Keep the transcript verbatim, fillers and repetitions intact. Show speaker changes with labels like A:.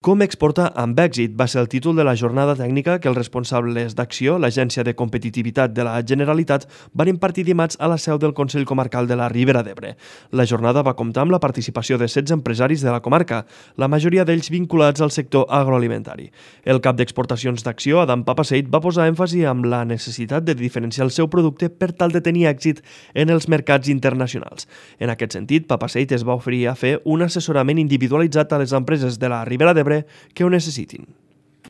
A: Com exportar amb èxit va ser el títol de la jornada tècnica que els responsables d'Acció, l'Agència de Competitivitat de la Generalitat, van impartir dimarts a la seu del Consell Comarcal de la Ribera d'Ebre. La jornada va comptar amb la participació de setze empresaris de la comarca, la majoria d'ells vinculats al sector agroalimentari. El cap d'exportacions d'Acció, Adam Papaseit, va posar èmfasi amb la necessitat de diferenciar el seu producte per tal de tenir èxit en els mercats internacionals. En aquest sentit, Papaseit es va oferir a fer un assessorament individualitzat a les empreses de la Ribera d'Ebre que ho necessitin.